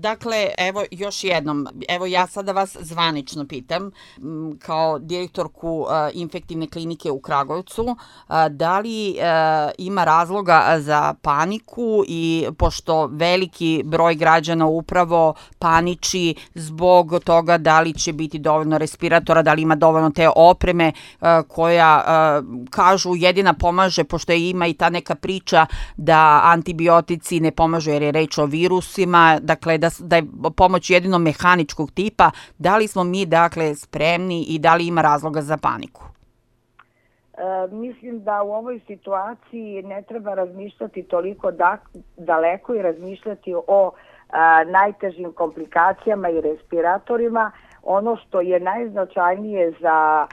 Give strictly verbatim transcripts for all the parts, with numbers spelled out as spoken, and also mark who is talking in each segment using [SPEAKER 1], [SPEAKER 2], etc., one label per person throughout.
[SPEAKER 1] Dakle, evo još jednom, evo ja sada vas zvanično pitam, kao direktorku infektivne klinike u Kragujevcu, da li ima razloga za paniku i pošto veliki broj građana upravo paniči zbog toga da li će biti dovoljno respiratora, da li ima dovoljno te opreme koja, kažu, jedina pomaže, pošto ima i ta neka priča da antibiotici ne pomažu jer je reč o virusima, dakle da, da je pomoć jedino mehaničkog tipa. Da li smo mi dakle spremni i da li ima razloga za paniku?
[SPEAKER 2] E, mislim da u ovoj situaciji ne treba razmišljati toliko da, daleko i razmišljati o a, najtežim komplikacijama i respiratorima. Ono što je najznačajnije za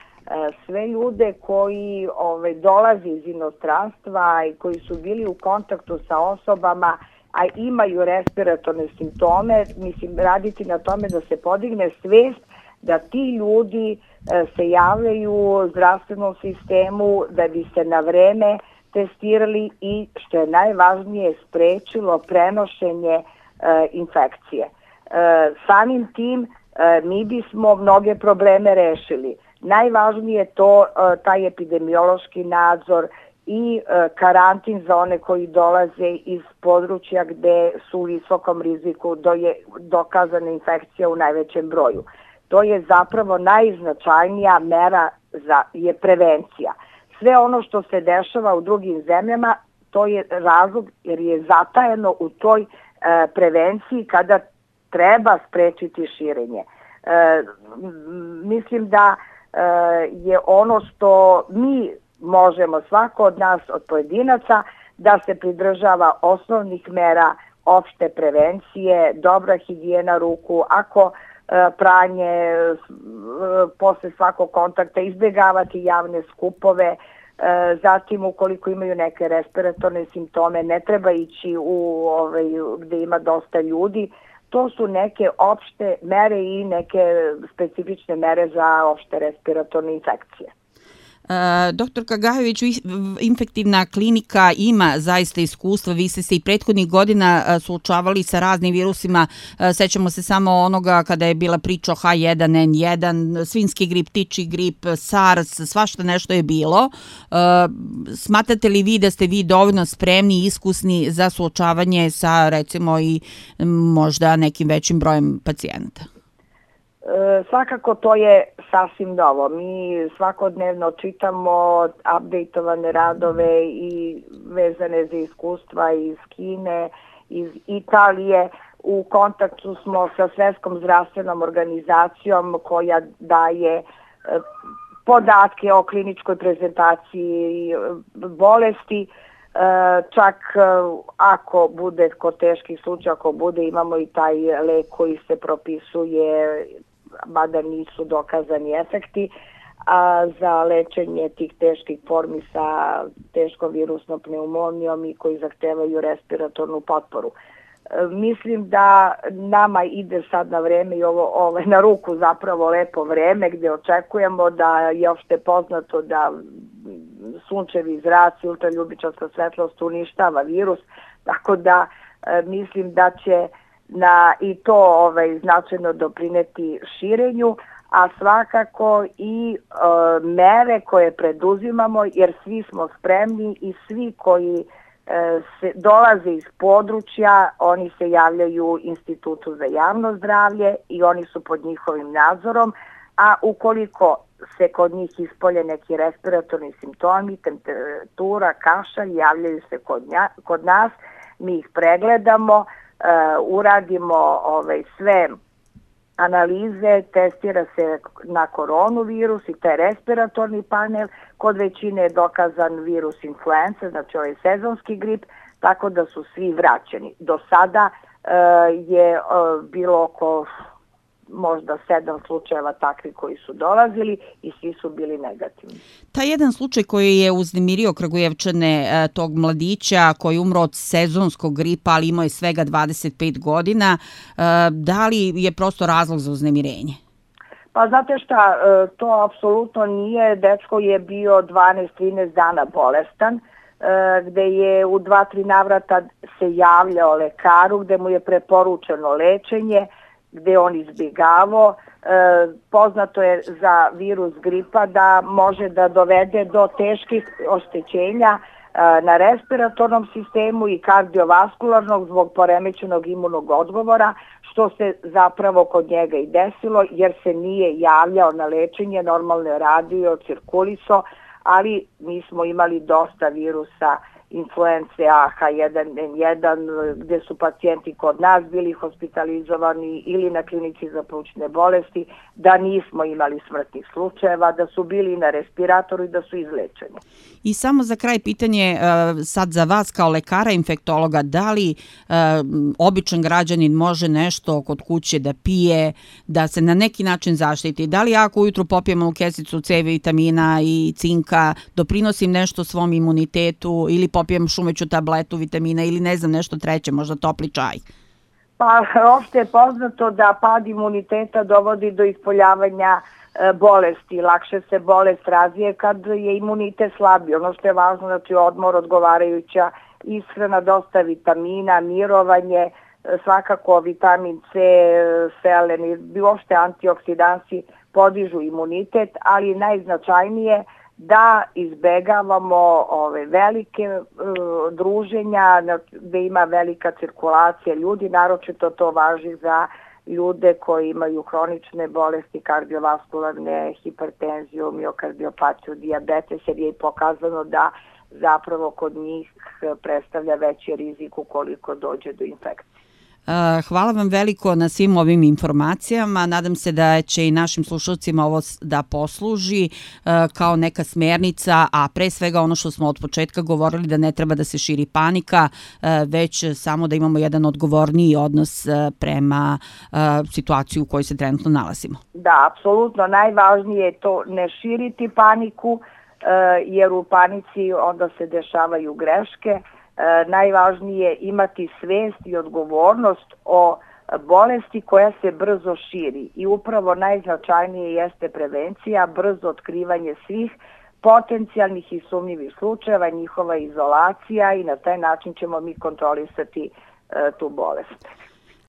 [SPEAKER 2] sve ljude koji ove, dolaze iz inostranstva i koji su bili u kontaktu sa osobama, a imaju respiratorne simptome, mislim, raditi na tome da se podigne svest da ti ljudi e, se javljaju zdravstvenom sistemu da bi se na vreme testirali i, što je najvažnije, sprečilo prenošenje e, infekcije. E, samim tim e, mi bismo mnoge probleme rešili. Najvažnije je to, taj epidemiološki nadzor i karantin za one koji dolaze iz područja gde su u visokom riziku, do je dokazana infekcija u najvećem broju. To je zapravo najznačajnija mera za, je prevencija. Sve ono što se dešava u drugim zemljama, to je razlog jer je zatajeno u toj e, prevenciji kada treba sprečiti širenje. E, mislim da je ono što mi možemo, svako od nas, od pojedinaca, da se pridržava osnovnih mera opšte prevencije, dobra higijena ruku, ako pranje posle svakog kontakta, izbjegavati javne skupove, zatim ukoliko imaju neke respiratorne simptome, ne treba ići u ovaj, gde ima dosta ljudi. To su neke opšte mere i neke specifične mere za opšte respiratorne infekcije.
[SPEAKER 1] Doktorka Gajović, infektivna klinika ima zaista iskustva. Vi ste se i prethodnih godina suočavali sa raznim virusima. Sećamo se samo onoga kada je bila priča o H jedan N jedan, svinjski grip, ptičji grip, SARS, svašta nešto je bilo. Smatrate li vi da ste vi dovoljno spremni i iskusni za suočavanje sa, recimo, i možda nekim većim brojem pacijenata?
[SPEAKER 2] E, svakako to je sasvim novo. Mi svakodnevno čitamo updateovane radove i vezane za iskustva iz Kine, iz Italije. U kontaktu smo sa Svetskom zdravstvenom organizacijom koja daje e, podatke o kliničkoj prezentaciji bolesti. E, čak ako bude kod teških slučaja, ako bude, imamo i taj lek koji se propisuje, mada nisu dokazani efekti, a za lečenje tih teških formi sa teškom virusnom pneumonijom i koji zahtevaju respiratornu potporu. E, mislim da nama ide sad na vreme i ovo, ovo na ruku zapravo lepo vreme gdje očekujemo da je opšte poznato da sunčevi zraci, ultraljubičasta svetlost uništava virus, tako da e, mislim da će na i to ovaj, značajno doprineti širenju, a svakako i e, mere koje preduzimamo, jer svi smo spremni i svi koji e, se dolaze iz područja, oni se javljaju Institutu za javno zdravlje i oni su pod njihovim nadzorom, a ukoliko se kod njih ispolje neki respiratorni simptomi, temperatura, kašalj, javljaju se kod, nja, kod nas, mi ih pregledamo, Uh, uradimo ovaj, sve analize, testira se na koronavirus i taj respiratorni panel, kod većine je dokazan virus influence, znači ovaj sezonski grip, tako da su svi vraćeni. Do sada uh, je uh, bilo oko možda sedam slučajeva takvi koji su dolazili i svi su bili negativni.
[SPEAKER 1] Ta jedan slučaj koji je uznemirio Kragujevčane, tog mladića koji je umro od sezonskog gripa, ali imao je svega dvadeset pet godina, da li je prosto razlog za uznemirenje?
[SPEAKER 2] Pa znate šta, to apsolutno nije. Dečko je bio dvanaest trinaest dana bolestan. gde je u dva, tri navrata se javljao lekaru, gde mu je preporučeno lečenje, gde on izbjegavao. Poznato je za virus gripa da može da dovede do teških oštećenja na respiratornom sistemu i kardiovaskularnog zbog poremećenog imunog odgovora, što se zapravo kod njega i desilo, jer se nije javljao na lečenje, normalno je radio, cirkulisao, ali mi smo imali dosta virusa influence A H jedan N jedan, gde su pacijenti kod nas bili hospitalizovani ili na klinici za plućne bolesti, da nismo imali smrtnih slučajeva, da su bili na respiratoru i da su izlečeni.
[SPEAKER 1] I samo za kraj pitanje sad za vas kao lekara infektologa, da li običan građanin može nešto kod kuće da pije, da se na neki način zaštiti? Da li ako ujutru popijemo kesicu C vitamina i cinka, doprinosim nešto svom imunitetu ili popijem šumeću tabletu vitamina ili ne znam nešto treće, možda topli čaj?
[SPEAKER 2] Pa opšte je poznato da pad imuniteta dovodi do ispoljavanja bolesti. Lakše se bolest razvije kad je imunitet slabiji. Ono što je važno, znači odmor, odgovarajuća ishrana, dosta vitamina, mirovanje, svakako vitamin C, selen i uopšte antioksidansi podižu imunitet, ali najznačajnije da izbegavamo ove velike uh, druženja gde ima velika cirkulacija ljudi, naročito to važi za ljude koji imaju hronične bolesti, kardiovaskularne, hipertenziju, miokardiopatiju, dijabetes, jer je i pokazano da zapravo kod njih predstavlja veći rizik ukoliko dođe do infekcije.
[SPEAKER 1] Hvala vam veliko na svim ovim informacijama. Nadam se da će i našim slušalcima ovo da posluži kao neka smjernica, a pre svega ono što smo od početka govorili, da ne treba da se širi panika, već samo da imamo jedan odgovorniji odnos prema situaciji u kojoj se trenutno nalazimo.
[SPEAKER 2] Da, apsolutno. Najvažnije je to ne širiti paniku, jer u panici onda se dešavaju greške. Najvažnije je imati svest i odgovornost o bolesti koja se brzo širi i upravo najznačajnije jeste prevencija, brzo otkrivanje svih potencijalnih i sumnjivih slučajeva, njihova izolacija i na taj način ćemo mi kontrolisati tu bolest.